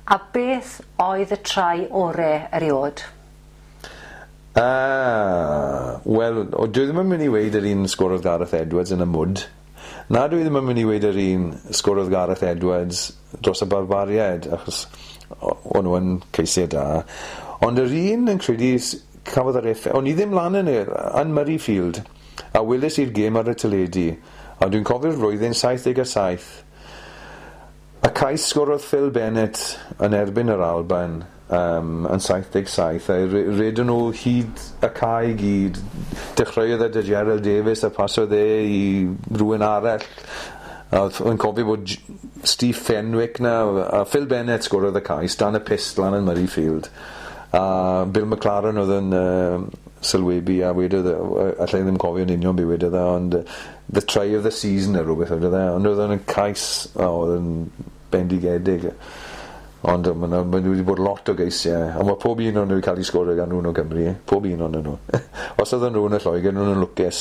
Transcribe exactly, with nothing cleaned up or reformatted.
A beth oedd y try ore eriod? Ah, wel, o, dwi ddim yn mynd i weud yr un sgorodd Gareth Edwards yn y mwd. Na, dwi ddim yn mynd i weud yr un sgorodd Gareth Edwards dros y Barbariaid, achos o'n nhw yn ceisiau da. Ond yr un yn credu cafodd yr effaith. O'n i ddim lan yn, y, yn Murrayfield, a weles i'r gêm ar y teledu, a dwi'n cofio'r flwyddyn saith deg saith. Y cais sgorodd Phil Bennett yn erbyn yr Alban um, yn saith deg saith, a redon nhw hyd y cae i gyd. Dechreuodd e 'da Gerald Davies a pasodd e i rhywun arall. A yn cofio bod Steve Fenwick na, a Phil Bennett sgorodd y cais dan y pyst lan yn Murrayfield. A Bill McLaren oedd yn uh, sylwebu a wedodd, allai ddim cofio'n union be wedodd e, ond uh, "the try of the season" neu rhywbeth oedd e, ond oedd yn cais, oh, oedd yn bendigedig. Ond mae ma wedi bod lot o geisiau, a mae pob un o'n nhw wedi cael ei sgorio gan nhw'n o Gymru, pob un o'n nhw. Os oedden nhw yn y Lloegr, nhw'n lwcus.